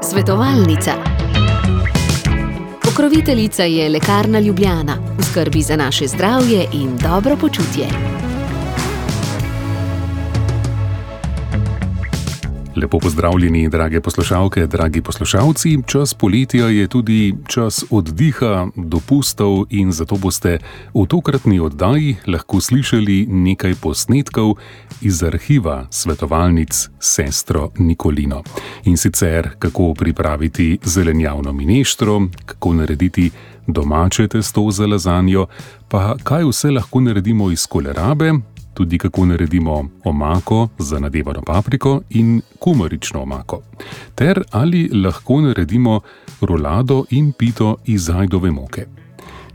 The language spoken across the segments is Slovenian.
Svetovalnica. Pokroviteljica je Lekarna Ljubljana, v skrbi za naše zdravje in dobro počutje. Lepo pozdravljeni, drage poslušalke, dragi poslušalci. Čas poletja je tudi čas oddiha, dopustov in zato boste v tokratni oddaji lahko slišali nekaj posnetkov iz arhiva svetovalnic Sestro Nikolino. In sicer, kako pripraviti zelenjavno mineštro, kako narediti domače testo za lazanjo, pa kaj vse lahko naredimo iz kolerabe, tudi kako naredimo omako za nadevano papriko in kumarično omako. Ter ali lahko naredimo rolado in pito iz ajdove moke.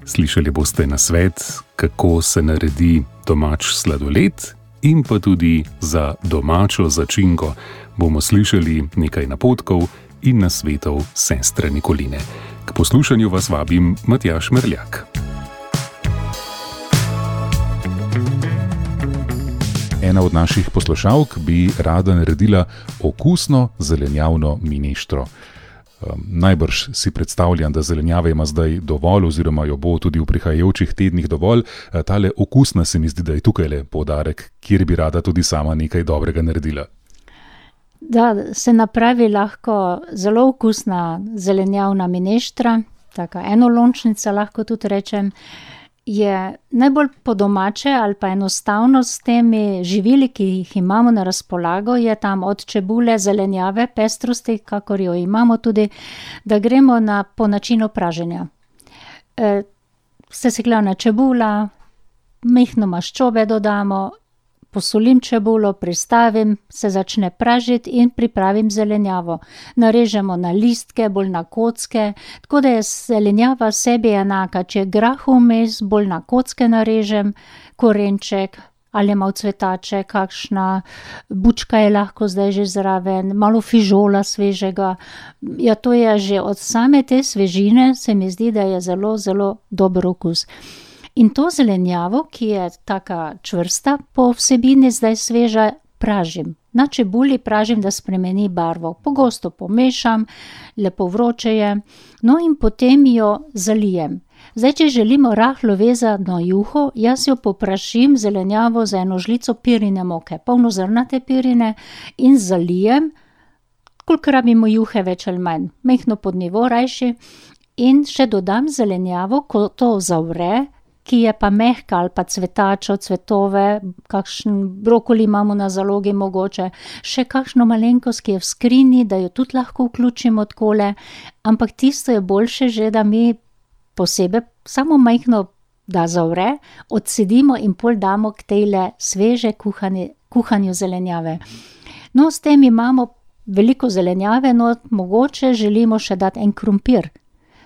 Slišali boste nasvet, kako se naredi domač sladoled in pa tudi za domačo začinko bomo slišali nekaj napotkov in nasvetov sestre Nikoline. K poslušanju vas vabim Matjaž Merljak. Ena od naših poslušalk bi rada naredila okusno zelenjavno mineštro. Najbrž si predstavljam, da zelenjave ima zdaj dovolj oziroma jo bo tudi v prihajajočih tednih dovolj. Tale okusna se mi zdi, da je tukajle poudarek, kjer bi rada tudi sama nekaj dobrega naredila. Da se napravi lahko zelo okusna zelenjavna mineštra, taka enolončnica lahko tudi rečem, je najbolj po domače ali pa enostavno s temi živili, ki jih imamo na razpolago, je tam od čebule, zelenjave, pestrosti, kakor jo imamo tudi, da gremo po načinu praženja. Sesekljana čebula, majhno maščobe dodamo, posolim čebulo, pristavim, se začne pražiti in pripravim zelenjavo. Narežemo na listke, bolj na kocke, tako da je zelenjava sebi enaka. Če je grah vmes, bolj na kocke narežem, korenček ali malo cvetače, kakšna bučka je lahko zdaj že zraven, malo fižola svežega. Ja, to je že od same te svežine, se mi zdi, da je zelo, zelo dober okus. In to zelenjavo, ki je taka čvrsta po vsebini, zdaj sveža, pražim. Na čebuli pražim, da spremeni barvo. Pogosto pomešam, lepo vroče je, no in potem jo zalijem. Zdaj, če želimo rahlo vezano juho, jaz jo poprašim zelenjavo za eno žlico pirine moke, polnozrnate pirine, in zalijem, koliko rabimo juhe več ali manj, majhno pod nivo rajši, in še dodam zelenjavo, ko to zavre, ki je pa mehka ali pa cvetačo, cvetove, kakšen brokoli imamo na zalogi mogoče, še kakšno malenkost, ki je v skrini, da jo tudi lahko vključimo takole, ampak tisto je boljše že, da mi posebej samo majhno, da zavre, odcedimo in pol damo k tejle sveže kuhanju zelenjave. No, s tem imamo veliko zelenjave, no, mogoče želimo še dati en krompir,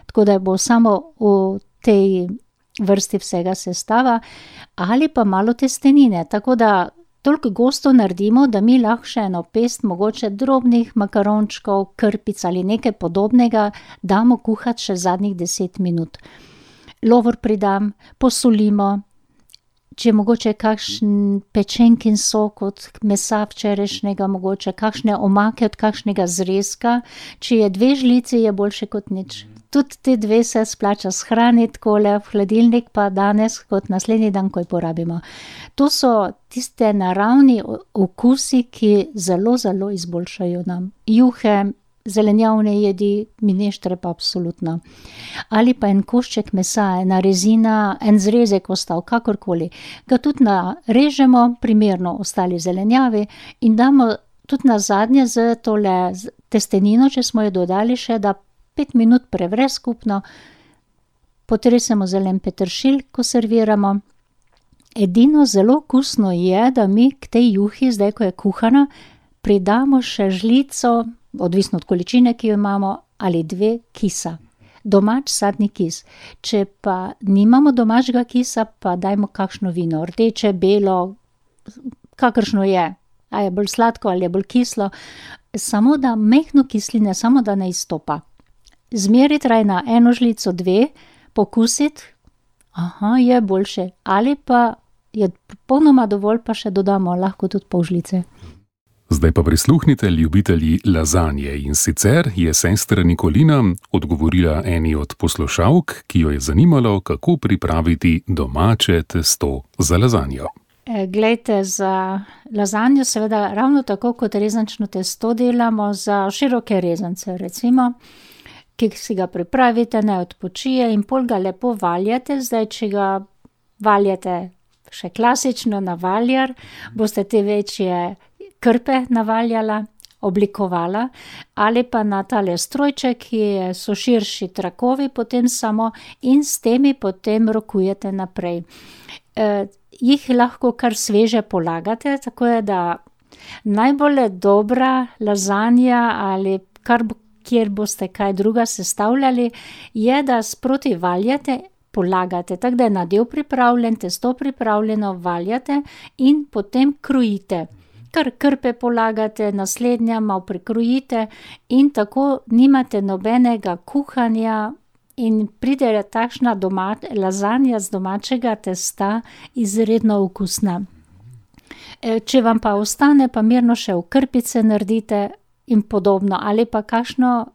tako da bo samo v tej vrsti vsega sestava, ali pa malo testenine, tako da toliko gosto naredimo, da mi lahko še eno pest mogoče drobnih makarončkov, krpic ali nekaj podobnega damo kuhati še zadnjih 10 minut. Lovor pridam, posolimo, če mogoče kakšen pečenkin sok od mesa včerajšnjega, mogoče kakšne omake od kakšnega zrezka, če je 2 žlici, je boljše kot nič. Tudi te 2 se splača shraniti takole v hladilnik, pa danes kot naslednji dan, ko jo porabimo. To so tiste naravni okusi, ki zelo, zelo izboljšajo nam juhe, zelenjavne jedi, mineštre pa absolutno. Ali pa en košček mesa, ena rezina, en zrezek ostal, kakorkoli. Ga tudi narežemo, primerno ostali zelenjavi, in damo tudi na zadnje z tole testenino, če smo jo dodali še, da 5 minut prevre skupno, potresemo zelen peteršilj, ko serviramo. Edino zelo okusno je, da mi k tej juhi, zdaj ko je kuhana, pridamo še žlico, odvisno od količine, ki jo imamo, ali 2 kisa. Domač sadni kis. Če pa nimamo domačega kisa, pa dajmo kakšno vino, rdeče, belo, kakršno je. A je bolj sladko ali je bolj kislo. Samo da majhno kisline, samo da ne izstopa. Zmeriti raj na 1 žlico, 2, pokusiti, je boljše. Ali pa je popolnoma dovolj, pa še dodamo lahko tudi pol žlice. Zdaj pa prisluhnite ljubitelji lazanje in sicer je sestra Nikolina odgovorila eni od poslušalk, ki jo je zanimalo, kako pripraviti domače testo za lazanjo. Glejte, za lazanjo seveda ravno tako kot rezančno testo delamo za široke rezance, recimo, ki si ga pripravite, ne odpočije in pol ga lepo valjate. Zdaj, če ga valjate še klasično na valjar, boste te večje krpe navaljala, oblikovala, ali pa na tale strojček, ki so širši trakovi, potem samo in s temi potem rokujete naprej. Jih lahko kar sveže polagate, tako je, da najbolj dobra lazanja ali kjer boste kaj druga sestavljali, je, da sproti valjate, polagate, tako da je nadev pripravljen, testo pripravljeno, valjate in potem krojite. Kar krpe polagate, naslednja malo prikrojite in tako nimate nobenega kuhanja in pride takšna lazanja z domačega testa izredno okusna. Če vam pa ostane, pa mirno še v krpice naredite in podobno, ali pa kakšno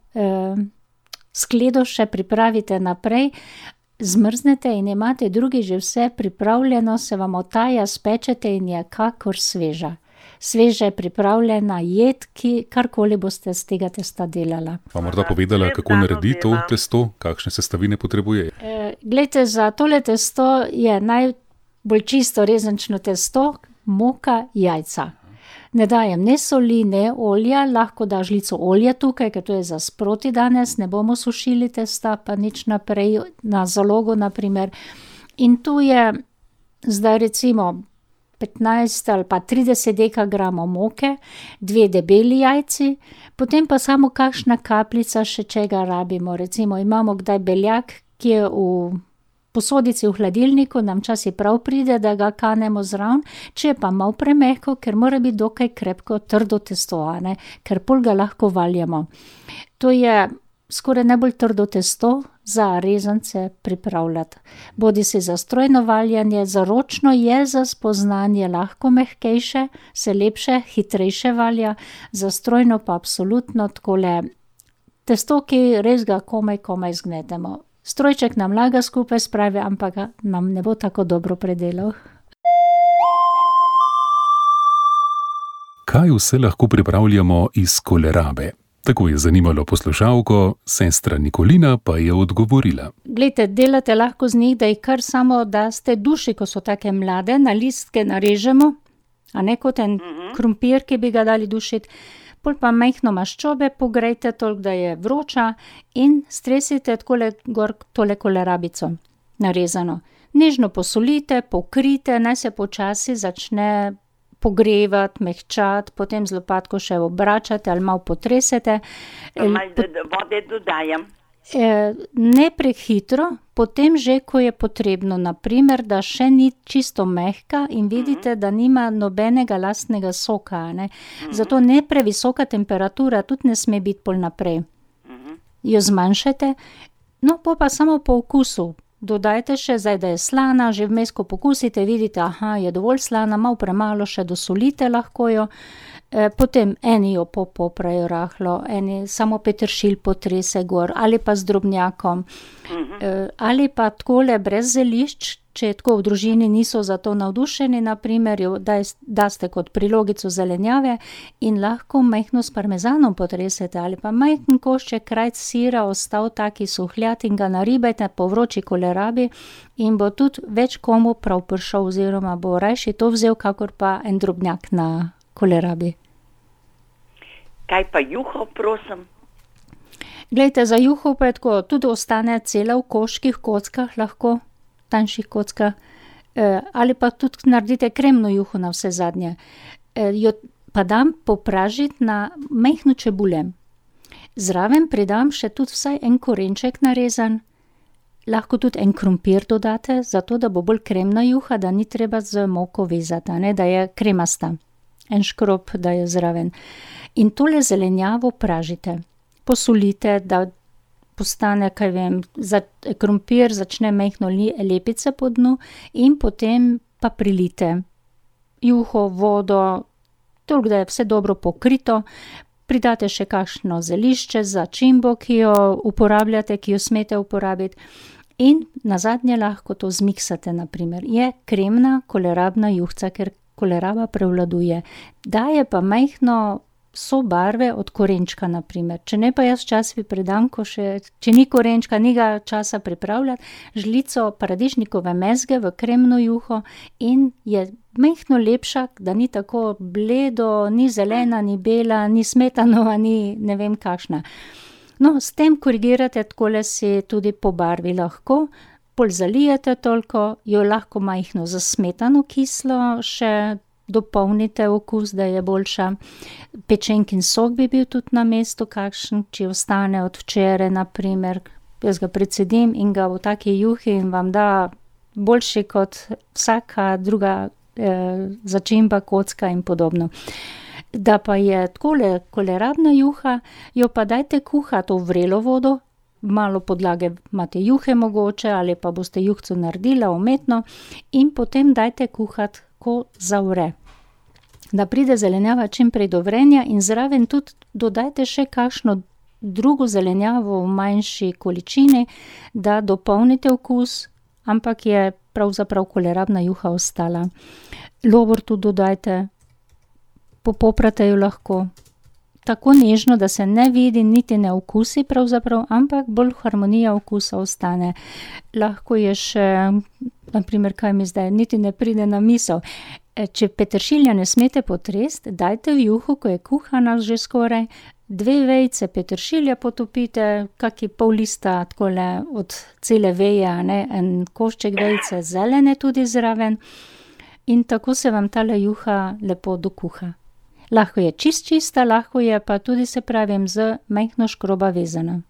skledo še pripravite naprej, zmrznete in imate drugi že vse pripravljeno, se vam otaja, spečete in je kakor sveža. Sveže pripravljena jed, karkoli boste z tega testa delala. Pa morda povedala, kako naredi to testo, kakšne sestavine potrebuje? Glejte, za tole testo je najbolj čisto rezančno testo, moka, jajca. Ne dajem ne soli, ne olja, lahko da žlico olja tukaj, ker to je za sproti danes, ne bomo sušili testa, pa nič naprej, na zalogo naprimer. In tu je zdaj recimo 15 ali pa 30 dekagramov moke, 2 debeli jajci, potem pa samo kakšna kapljica še čega rabimo. Recimo imamo kdaj beljak, ki je v posodici v hladilniku, nam časi prav pride, da ga kanemo zraven, če je pa malo premehko, ker mora biti dokaj krepko, trdo testo, ker pol ga lahko valjamo. To je skoraj najbolj trdo testo za rezance pripravljati. Bodi si za strojno valjanje, za ročno je za spoznanje lahko mehkejše, se lepše, hitrejše valja, za strojno pa absolutno takole testo, ki res ga komaj zgnetemo. Strojček nam laga skupaj spravi, ampak nam ne bo tako dobro predelal. Kaj vse lahko pripravljamo iz kolerabe? Tako je zanimalo poslušalko, sestra Nikolina pa je odgovorila. Glejte, delate lahko z njih, da jih kar samo daste duši, ko so take mlade, na listke narežemo, a ne kot en krompir, ki bi ga dali dušiti, pol pa majhno maščobe pogrejte toliko, da je vroča in stresite gor tole kolerabico narezano. Nežno posolite, pokrite, naj se počasi začne pogrevati, mehčati, potem z lopatko še obračate ali malo potresete. Malo vode dodajam. Ne prehitro, potem že, ko je potrebno, naprimer, da še ni čisto mehka in vidite, da nima nobenega lastnega soka, ne. Zato ne previsoka temperatura, tudi ne sme biti pol naprej. Jo zmanjšajte, no, pa samo po okusu. Dodajte še, zdaj, da je slana, že vmes, ko pokusite, vidite, je dovolj slana, malo premalo še dosolite lahko jo. Potem eni jo poprajo rahlo, eni samo peteršilj potrese gor, ali pa z drobnjakom. Ali pa takole brez zelišč, če tako v družini niso za to navdušeni, naprimer, jo daste kot prilogico zelenjave in lahko majhno s parmezanom potresete, ali pa majhen košček krajc sira ostal taki suhljat in ga naribajte po vroči kolerabi in bo tudi več komu prav prišel, oziroma bo rajši to vzel, kakor pa en drobnjak na kolerabi. Kaj pa juho, prosim? Glejte, za juho pa je tako, tudi ostane cela v koških kockah lahko, tanjših kockah, ali pa tudi naredite kremno juho na vse zadnje. Jo pa dam popražiti na majhno čebule. Zraven pridam še tudi vsaj en korenček narezan, lahko tudi en krompir dodate, zato da bo bolj kremna juha, da ni treba z moko vezati, da je kremasta. En škrob, da je zraven. In tole zelenjavo pražite. Posolite, da postane, krompir začne majhno lepice po dnu in potem pa prilite juho, vodo, toliko, da je vse dobro pokrito. Pridate še kakšno zelišče, začimbo, ki jo uporabljate, ki jo smete uporabiti. In nazadnje lahko to zmiksate, naprimer. Je kremna kolerabna juhca, ker koleraba prevladuje. Daje pa majhno sobarve od korenčka, naprimer. Če ne, pa jaz včasih predam, če ni korenčka, ni ga časa pripravljati, žlico paradižnikove mezge v kremno juho in je majhno lepša, da ni tako bledo, ni zelena, ni bela, ni smetanova, ni ne vem kakšna. No, s tem korigirate, takole si tudi po barvi lahko, pol zalijete toliko, jo lahko majhno za smetano kislo še dopolnite okus, da je boljša. Pečenkin sok bi bil tudi na mestu kakšen, če ostane od včeraj, naprimer. Jaz ga precedim in ga v taki juhi in vam da boljši kot vsaka druga začimba, kocka in podobno. Da pa je takole kolerabna juha, jo pa dajte kuhati v vrelo vodo, malo podlage imate juhe mogoče, ali pa boste juhco naredila umetno in potem dajte kuhati, ko zavre. Da pride zelenjava čim prej do vrenja in zraven tudi dodajte še kakšno drugo zelenjavo v manjši količini, da dopolnite okus, ampak je pravzaprav kolerabna juha ostala. Lovor tudi dodajte, popoprate jo lahko. Tako nežno, da se ne vidi, niti ne okusi pravzaprav, ampak bolj harmonija okusa ostane. Lahko je še, naprimer, kaj mi zdaj, niti ne pride na misel. Če peteršilja ne smete potresti, dajte v juho, ko je kuhana že skoraj, 2 vejice peteršilja potopite, kaki pol lista takole od cele veje, en košček vejice zelene tudi zraven in tako se vam tale juha lepo dokuha. Lahko je čista, lahko je pa tudi, se pravim, z majhno škroba vezana.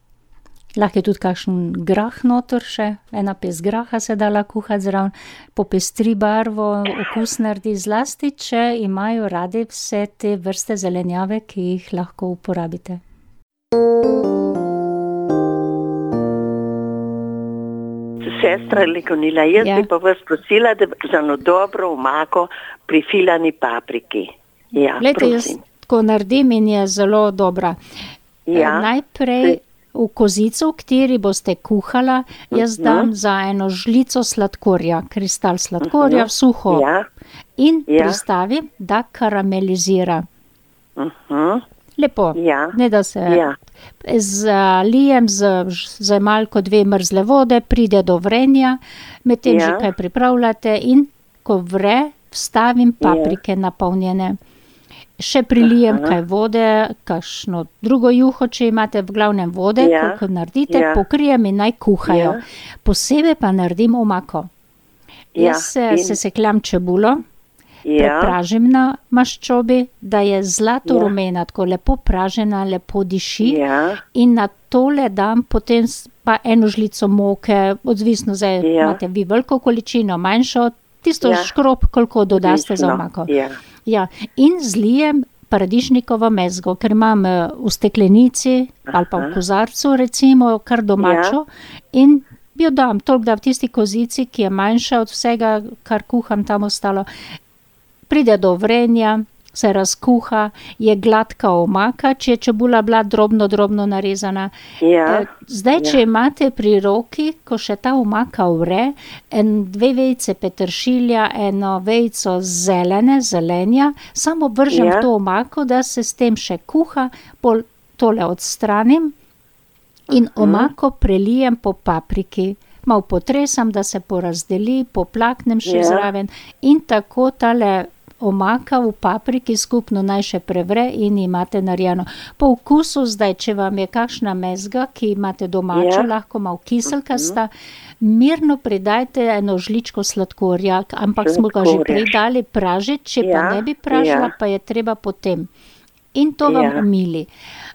Lahko je tudi kakšen grah noter še, 1 pest graha se dala kuhati zraven, popestri barvo, okus naredi zlasti, če imajo radi vse te vrste zelenjave, ki jih lahko uporabite. Sestra Legonila, jaz bi pa vas prosila, da za eno dobro omako pri filani papriki. Ja, glejte, prosim. jaz tako naredim in je zelo dobra. Ja. Najprej v kozico, v kateri boste kuhala, jaz dam za 1 žlico sladkorja, kristal sladkorja, suho. Ja. In pristavim, da karamelizira. Lepo, ne da se zalijem z malko 2 mrzle vode, pride do vrenja, medtem že kaj pripravljate in ko vre, vstavim paprike napolnjene. Še prilijem kaj vode, kakšno drugo juho, če imate, v glavnem vode, koliko naredite, pokrijem in naj kuhajo. Posebej pa naredim omako. Jaz sesekljam čebulo, prepražim na maščobi, da je zlato rumena, tako lepo pražena, lepo diši in na tole dam potem pa 1 žlico moke, odvisno zdaj imate vi veliko količino, manjšo, tisto škrob, koliko dodaste za omako. Ja, in zlijem paradižnikovo mezgo, ker imam v steklenici ali pa v kozarcu recimo kar domačo in jo dam toliko, da v tisti kozici, ki je manjša od vsega, kar kuham tam ostalo, pride do vrenja, se razkuha, je gladka omaka, če je čebula bila drobno narezana. Zdaj, če imate pri roki, ko še ta omaka vre, 2 vejice peteršilja, 1 vejico zelenja, samo vržem to omako, da se s tem še kuha, pol tole odstranim in omako prelijem po papriki. Malo potresam, da se porazdeli, poplaknem še zraven in tako tale omaka v papriki skupno naj še prevre in imate narejeno. Po okusu zdaj, če vam je kakšna mezga, ki imate domačo, lahko malo kiselkasta, mirno pridajte 1 žličko sladkorja, ampak smo ga že prej dali pražiti, če pa ne bi pražila, pa je treba potem. In to vam umili.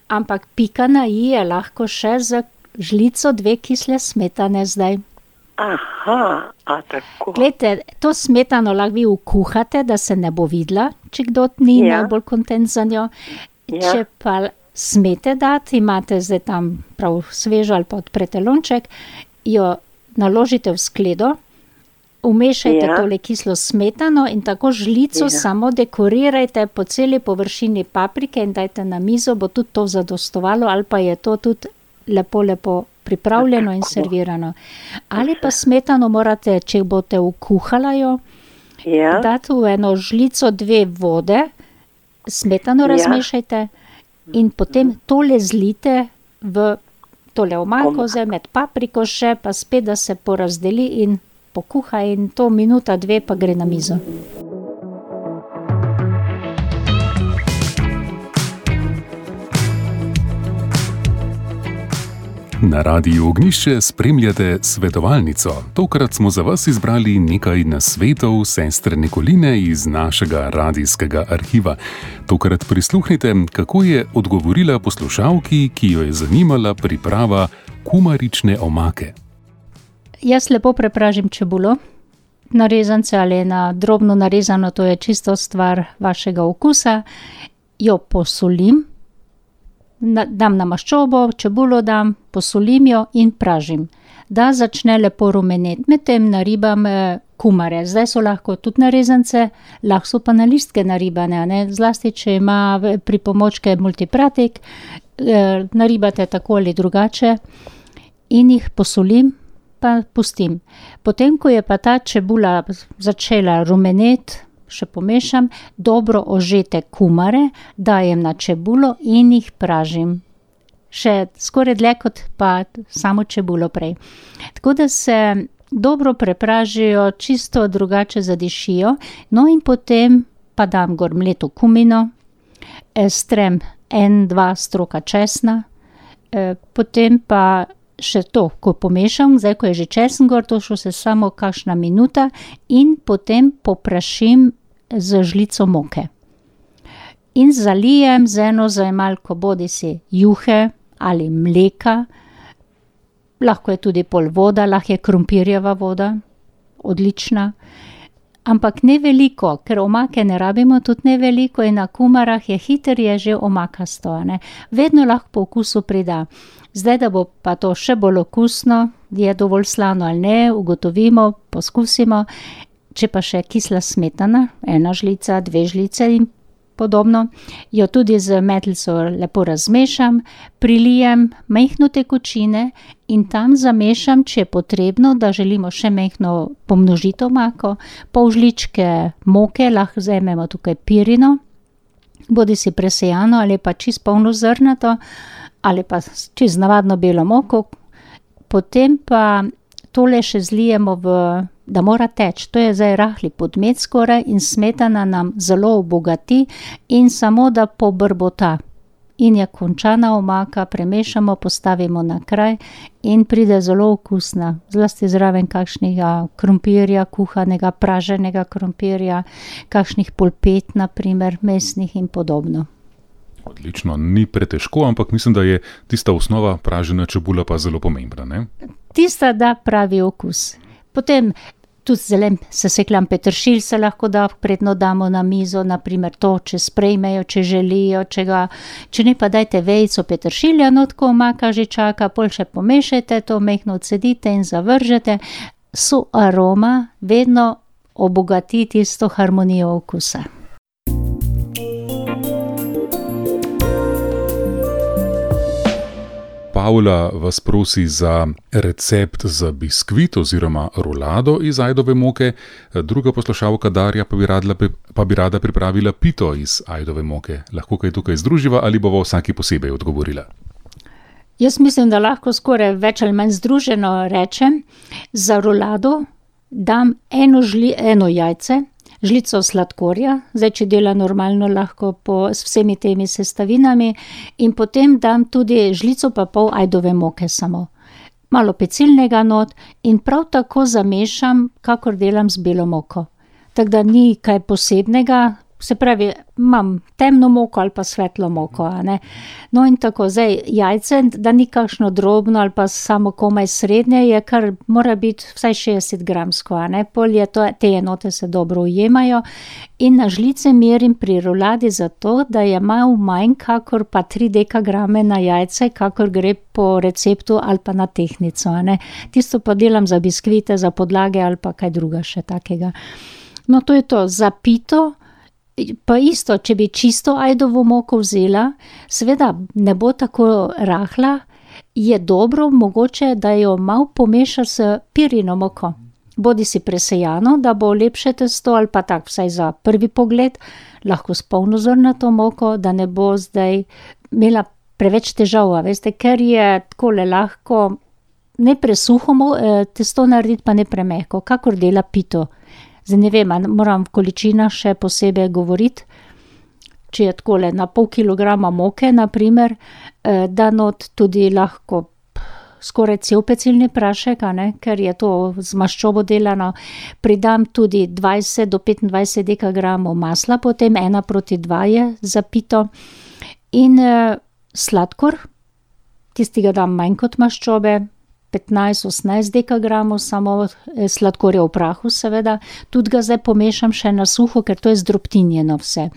Ampak pika na i je lahko še z žlico 2 kisle smetane zdaj. Aha, a tako. Glejte, to smetano lahko vi ukuhate, da se ne bo videla, če kdo ni najbolj kontent za njo. Če pa smete dati, imate zdaj tam prav svežo ali pa odprete lonček, jo naložite v skledo Umešajte tole kislo smetano in tako žlico samo dekorirajte po celi površini paprike in dajte na mizo, bo tudi to zadostovalo, ali pa je to tudi lepo pripravljeno in servirano. Ali pa smetano morate, če boste vkuhala jo, dati v eno žlico 2 vode, smetano razmešajte in potem tole zlite v tole omako, med papriko še, pa spet, da se porazdeli in pokuha in to minuta, 2 pa gre na mizo. Na Radiu Ognjišče spremljate svetovalnico. Tokrat smo za vas izbrali nekaj nasvetov sestre Nikoline iz našega radijskega arhiva. Tokrat prisluhnite, kako je odgovorila poslušalki, ki jo je zanimala priprava kumarične omake. Jaz lepo prepražim čebulo, na rezance ali na drobno narezano, to je čisto stvar vašega okusa. Jo posolim, dam na maščobo, čebulo dam, posolim jo in pražim. Da začne lepo rumeneti, medtem naribam kumare. Zdaj so lahko tudi na rezance, lahko so pa na listke naribane, ne? Zlasti, če ima pripomočke multipratik, naribate tako ali drugače in jih posolim, pa pustim. Potem, ko je pa ta čebula začela rumeneti, še pomešam, dobro ožete kumare, dajem na čebulo in jih pražim. Še skoraj dlje kot pa samo čebulo prej. Tako da se dobro prepražijo, čisto drugače zadišijo, no in potem pa dam gor mleto kumino, strem 1-2 stroka česna, potem pa še to, ko pomešam, zdaj ko je že česen gor, to še samo kakšna minuta in potem poprašim z žlico moke. In zalijem z eno zajemalko bodisi juhe ali mleka, lahko je tudi pol voda, lahko je krompirjeva voda, odlična, ampak ne veliko, ker omake ne rabimo tudi ne veliko in na kumarah je hiter, je že omakasto, ne. Vedno lahko po okusu prida. Zdaj, da bo pa to še bolj okusno, je dovolj slano ali ne, ugotovimo, poskusimo. Če pa še kisla smetana, 1 žlica, 2 žlice in podobno, jo tudi z metlico lepo razmešam, prilijem majhno tekočine in tam zamešam, če je potrebno, da želimo še majhno pomnožiti omako, pol žličke moke, lahko vzamemo tukaj pirino, bodisi presejano ali pa čisto polnozrnato, ali pa čez navadno belo moko, potem pa tole še zlijemo da mora teči, to je zdaj rahli podmet skoraj in smetana nam zelo obogati in samo da pobrbota. In je končana omaka, premešamo, postavimo na kraj in pride zelo okusna, zlasti zraven kakšnega krompirja, kuhanega, praženega krompirja, kakšnih polpet, na primer, mesnih in podobno. Odlično, ni pretežko, ampak mislim, da je tista osnova pražena čebula pa zelo pomembna, ne? Tista da pravi okus. Potem tudi zelen seseklan peteršilj se lahko da, predno damo na mizo, na primer to, če sprejmejo, če želijo, če ne pa dajte vejico peteršilja, no tako omaka že čaka, pol še pomešajte to, majhno odcedite in zavržete. So aroma vedno obogati tisto harmonijo okusa. Pavla vas prosi za recept za biskvit oziroma rolado iz ajdove moke, druga poslušalka Darja pa bi rada pripravila pito iz ajdove moke. Lahko kaj tukaj združiva ali bova vsaki posebej odgovorila? Jaz mislim, da lahko skoraj več ali manj združeno rečem. Za rolado dam eno jajce, žlico sladkorja, zdaj če dela normalno lahko s vsemi temi sestavinami in potem dam tudi žlico pa pol ajdove moke samo. Malo pecilnega not in prav tako zamešam, kakor delam z belo moko. Tako da ni kaj posebnega, se pravi, imam temno moko ali pa svetlo moko, a ne. No in tako, zdaj jajce, da ni kakšno drobno ali pa samo komaj srednje, je kar mora biti vsaj 60 gramsko, a ne. Pol je to, te enote se dobro ujemajo in na žlice merim pri roladi zato, da je malo manj kakor pa 3 dekagrame na jajce, kakor gre po receptu ali pa na tehtnico, a ne. Tisto pa delam za biskvite, za podlage ali pa kaj druga še takega. No, to je to, za pito. Pa isto, če bi čisto ajdovo moko vzela, seveda ne bo tako rahla, je dobro mogoče, da jo malo pomeša s pirino moko. Bodi si presejano, da bo lepše testo ali pa tak vsaj za prvi pogled, lahko s polnozrnato moko, da ne bo zdaj imela preveč težav, veste, ker je takole lahko ne presuho testo narediti, pa ne premehko, kakor dela pito. Zdaj ne vem, moram v količinah še posebej govoriti, če je takole na pol kilograma moke, na primer, da not tudi lahko skoraj cel pecilni prašek, a ne, ker je to z maščobo delano, pridam tudi 20 do 25 dekagramov masla, potem 1:2 je za pito in sladkor, tistega dam manj kot maščobe, 15-18 dekagramov, samo sladkorja v prahu seveda, tudi ga zdaj pomešam še na suho, ker to je zdrobtinjeno vse.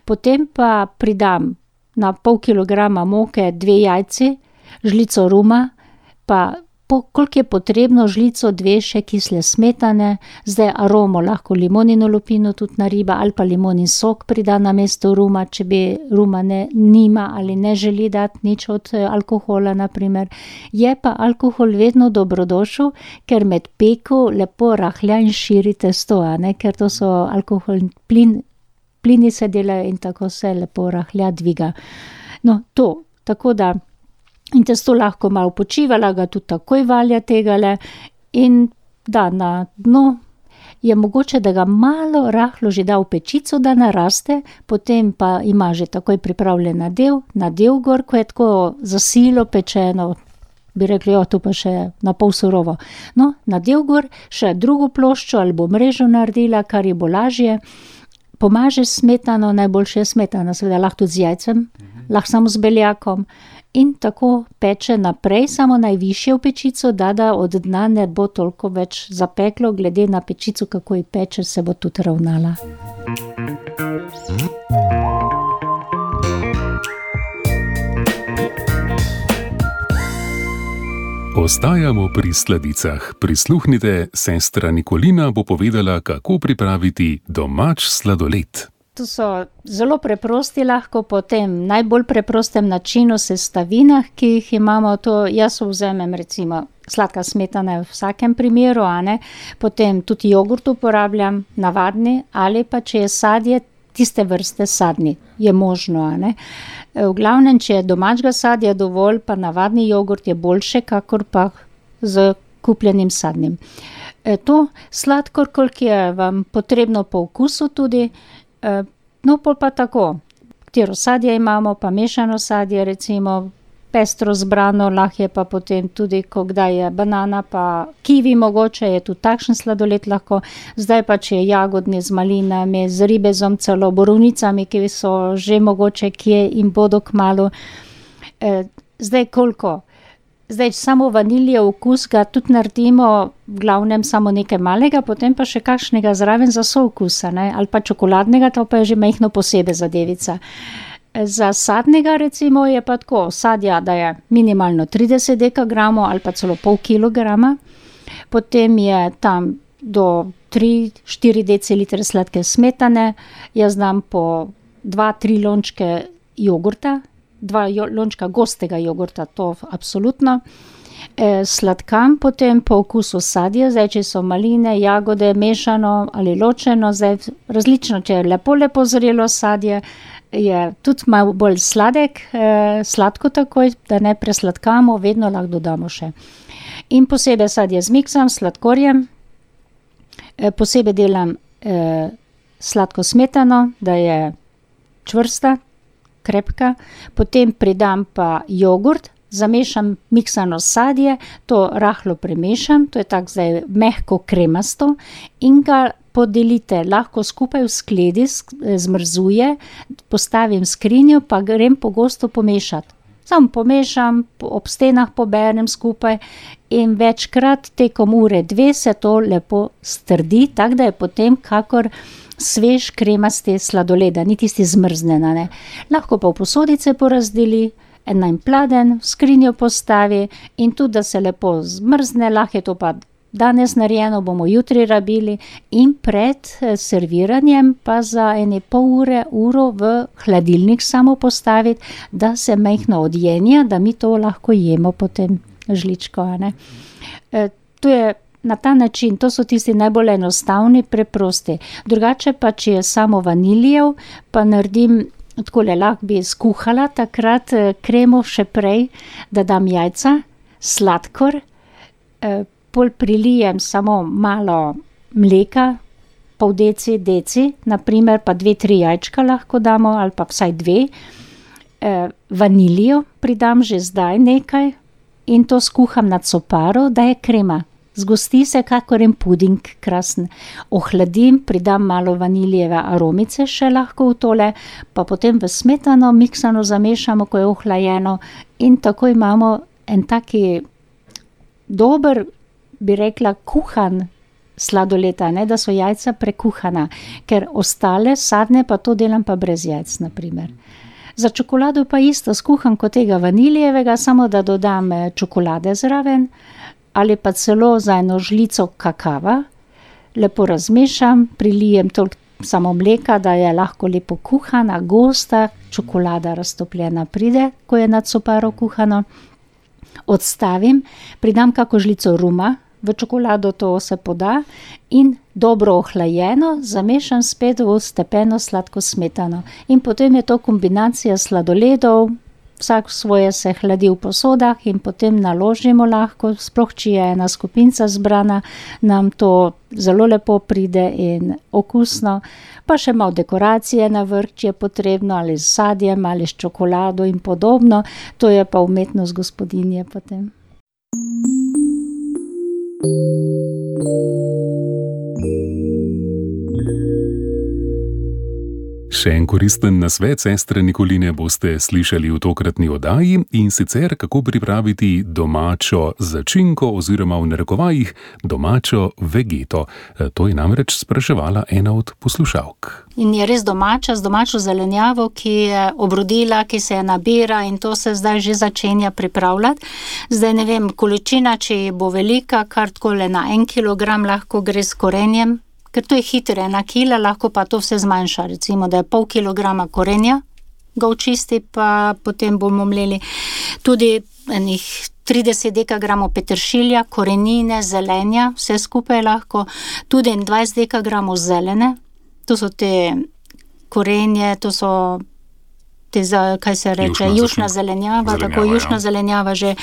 Potem pa pridam na pol kilograma moke 2 jajci, žlico ruma, pa koliko je potrebno, žlico 2 še kisle smetane, zdaj aromo lahko limonino lupino tudi nariba ali pa limonin sok prida na mesto ruma, če bi ruma nima ali ne želi dati nič od alkohola, na primer. Je pa alkohol vedno dobrodošel, ker med peko lepo rahlja in širi testo, a ne, ker to so alkoholni plini se delajo in tako se lepo rahlja, dviga. No, to, tako da in testo lahko malo počivala, ga tudi takoj valja tegale in da na dno je mogoče, da ga malo rahlo že da v pečico, da naraste, potem pa ima že takoj pripravljen nadev gor, ko je tako za silo pečeno, bi rekli, to pa še na pol surovo. No, nadev gor, še drugo ploščo ali bo mrežo naredila, kar je bo lažje, pomaže smetano, najboljše je smetana, seveda lahko tudi z jajcem, lahko samo z beljakom, in tako peče naprej, samo najvišje v pečico, da od dna ne bo toliko več zapeklo, glede na pečico, kako ji peče, se bo tudi ravnala. Ostajamo pri sladicah. Prisluhnite, sestra Nikolina bo povedala, kako pripraviti domač sladoled. To so zelo preprosti, lahko po tem najbolj preprostem načinu sestavinah, ki jih imamo, to jaz vzamem recimo sladka smetana v vsakem primeru, a ne, potem tudi jogurt uporabljam, navadni, ali pa če je sadje, tiste vrste sadni, je možno, a ne. V glavnem, če je domačega sadja dovolj, pa navadni jogurt je boljše, kakor pa z kupljenim sadnim. To sladkor, koliko je vam potrebno po okusu tudi, no, pol pa tako, katero sadje imamo, pa mešano sadje, recimo pestro zbrano, lahko je pa potem tudi, ko kdaj je banana, pa kivi mogoče, je tudi takšen sladoled lahko, zdaj pa če je jagodni z malinami, z ribezom, celo borovnicami, ki so že mogoče kje in bodo kmalu. Zdaj koliko? Zdaj samo vaniljev okus ga tudi naredimo, v glavnem samo nekaj malega, potem pa še kakšnega zraven za soukusa, ne, ali pa čokoladnega, to pa je že majhno posebej zadevica. Za sadnega recimo je pa tako, sadja, da je minimalno 30 dekagramov ali pa celo pol kilograma, potem je tam do 3-4 decilitre sladke smetane, jaz dam po 2-3 lončke jogurta, 2 lončka gostega jogurta, to absolutno. Sladkam potem po okusu sadje, zdaj če so maline, jagode, mešano ali ločeno, zdaj različno, če je lepo zrelo sadje, je tudi malo bolj sladek, sladko takoj, da ne presladkamo, vedno lahko dodamo še. In posebej sadje zmiksam s sladkorjem, posebej delam sladko smetano, da je čvrsta, krepka, potem pridam pa jogurt, zamešam miksano sadje, to rahlo premešam, to je tako zdaj mehko kremasto in ga podelite, lahko skupaj v skledi zmrzuje, postavim skrinjo, pa grem pogosto pomešati. Sam pomešam, ob stenah poberem skupaj in večkrat tekom ure 2 se to lepo strdi, tako da je potem kakor svež kremasti sladoled, ni tisti zmrznjena, ne. Lahko pa v posodice porazdeli, en pladen, v skrinjo postavi in tudi, da se lepo zmrzne, lahko je to pa danes narejeno, bomo jutri rabili in pred serviranjem pa za ene pol ure, uro v hladilnik samo postaviti, da se majhno odjenja, da mi to lahko jemo potem žličko, ne. To je na ta način, to so tisti najbolj enostavni, preprosti. Drugače pa, če je samo vaniljev, pa naredim takole, lahko bi skuhala takrat kremo še prej, da dam jajca, sladkor, pol prilijem samo malo mleka, pol deci, naprimer pa 2-3 jajčka lahko damo, ali pa vsaj 2. Vaniljo pridam že zdaj nekaj in to skuham na coparo, da je krema. Zgosti se kakor en puding, krasen. Ohladim, pridam malo vaniljeve aromice še lahko v tole, pa potem v smetano miksano zamešamo, ko je ohlajeno in tako imamo en taki dober, bi rekla, kuhan sladoled, ne, da so jajca prekuhana, ker ostale sadne pa to delam pa brez jajc, naprimer. Za čokolado pa isto, skuham kot tega vaniljevega, samo da dodam čokolade zraven, ali pa celo za eno žlico kakava, lepo razmešam, prilijem toliko samo mleka, da je lahko lepo kuhana, gosta, čokolada raztopljena pride, ko je na coparo kuhano. Odstavim, pridam kako žlico ruma, v čokolado to se poda in dobro ohlajeno zamešam spet v stepeno sladko smetano. In potem je to kombinacija sladoledov, vsak svoje se hladi v posodah in potem naložimo lahko, sploh če je ena skupinca zbrana, nam to zelo lepo pride in okusno. Pa še malo dekoracije na vrh, če je potrebno, ali s sadjem, ali s čokolado in podobno. To je pa umetnost gospodinje potem. Še en koristen nasvet sestre Nikoline boste slišali v tokratni oddaji, in sicer kako pripraviti domačo začinko oziroma v narekovajih domačo vegeto. To je namreč spraševala ena od poslušalk. In je res domača, z domačo zelenjavo, ki je obrodila, ki se nabira in to se zdaj že začenja pripravljati. Zdaj ne vem, količina, če bo velika, kar takole na 1 kilogram lahko gre s korenjem, ker to je hitro, 1 kila, lahko pa to vse zmanjša, recimo, da je pol kilograma korenja, ga očisti, pa potem bomo mleli tudi enih 30 dekagramov peteršilja, korenine, zelenja, vse skupaj lahko, tudi 20 dekagramov zelene, to so te korenje, to so te, kaj se reče, jušna zelenjava, tako jušna zelenjava že,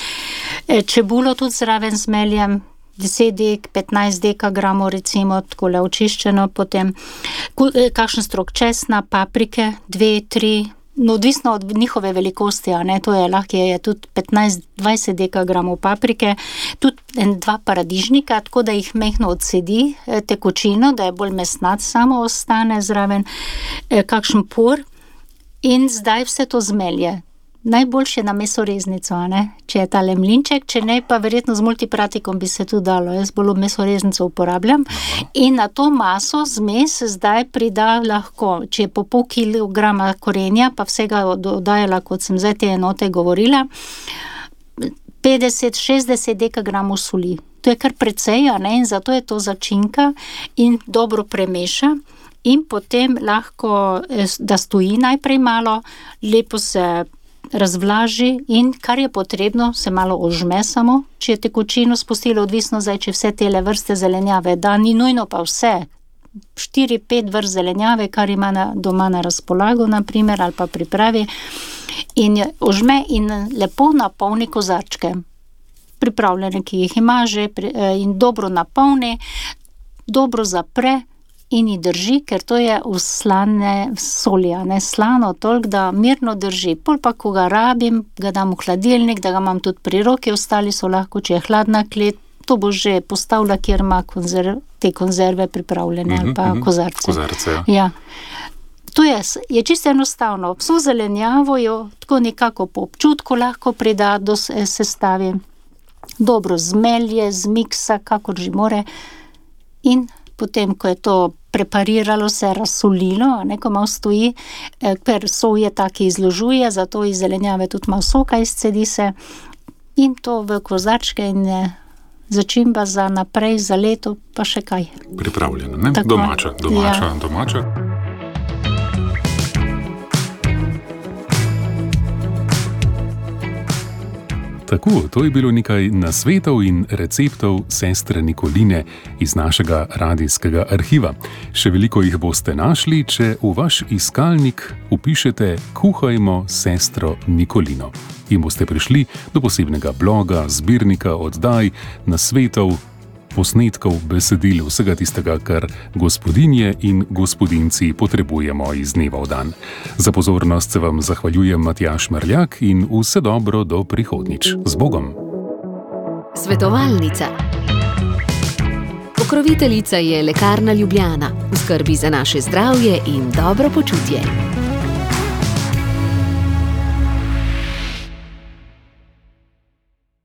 čebulo tudi zraven zmeljem, 10-15 dekagramov recimo, takole očiščeno, potem kakšen strok česna, paprike, 2-3, no odvisno od njihove velikosti, a ne, to je lahko je tudi 15-20 dekagramov paprike, tudi 2 paradižnika, tako da jih mehno odsedi tekočino, da je bolj mesnat samo ostane zraven, kakšen por in zdaj vse to zmelje. Najboljše na mesoreznico, a ne, če je tale mlinček, če ne, pa verjetno z multipratikom bi se tudi dalo, jaz bolj mesoreznico uporabljam. In na to maso zmes zdaj prida lahko, če je po pol kilograma korenja, pa vsega dodajala, kot sem zdaj te enote govorila, 50-60 dekagramov soli. To je kar precej, a ne, in zato je to začinka in dobro premeša. In potem lahko, da stoji najprej malo, lepo se razvlaži in kar je potrebno, se malo ožme samo, če je tekočino spustilo, odvisno zdaj, če vse tele vrste zelenjave da, ni nujno pa vse, 4-5 vrst zelenjave, kar ima doma na razpolago, naprimer, ali pa pripravi, in ožme in lepo napolni kozarčke, pripravljene, ki jih ima že, in dobro napolni, dobro zapre, in ji drži, ker to je v slane soli, ne slano, toliko, da mirno drži. Pol pa, ko ga rabim, ga dam v hladilnik, da ga imam tudi pri roki, ostali so lahko, če je hladna klet, to bo že postavila, kjer ima te konzerve pripravljene, ali pa kozarce. Kozarce, ja. Ja. To je čisto enostavno. Vso zelenjavo jo tako nekako po občutku lahko prida do sestavi. Dobro zmelje, zmiksa, kakor že more. In potem, ko je to prepariralo, se razsolilo, ko malo stoji, ker solje taki izložuje, zato iz zelenjave tudi malo soka izcedi se. In to v kozarčke in začimba za naprej, za leto, pa še kaj. Pripravljena, ne? Tako. Domača. Tako, to je bilo nekaj nasvetov in receptov sestre Nikoline iz našega radijskega arhiva. Še veliko jih boste našli, če v vaš iskalnik vpišete Kuhajmo sestro Nikolino. In boste prišli do posebnega bloga, zbirnika oddaj, nasvetov, posnetkov, besedil, vsega tistega, kar gospodinje in gospodinci potrebujemo iz dneva v dan. Za pozornost se vam zahvaljujem Matjaž Merljak in vse dobro do prihodnjič. Z Bogom! Svetovalnica. Pokroviteljica je Lekarna Ljubljana. V skrbi za naše zdravje in dobro počutje.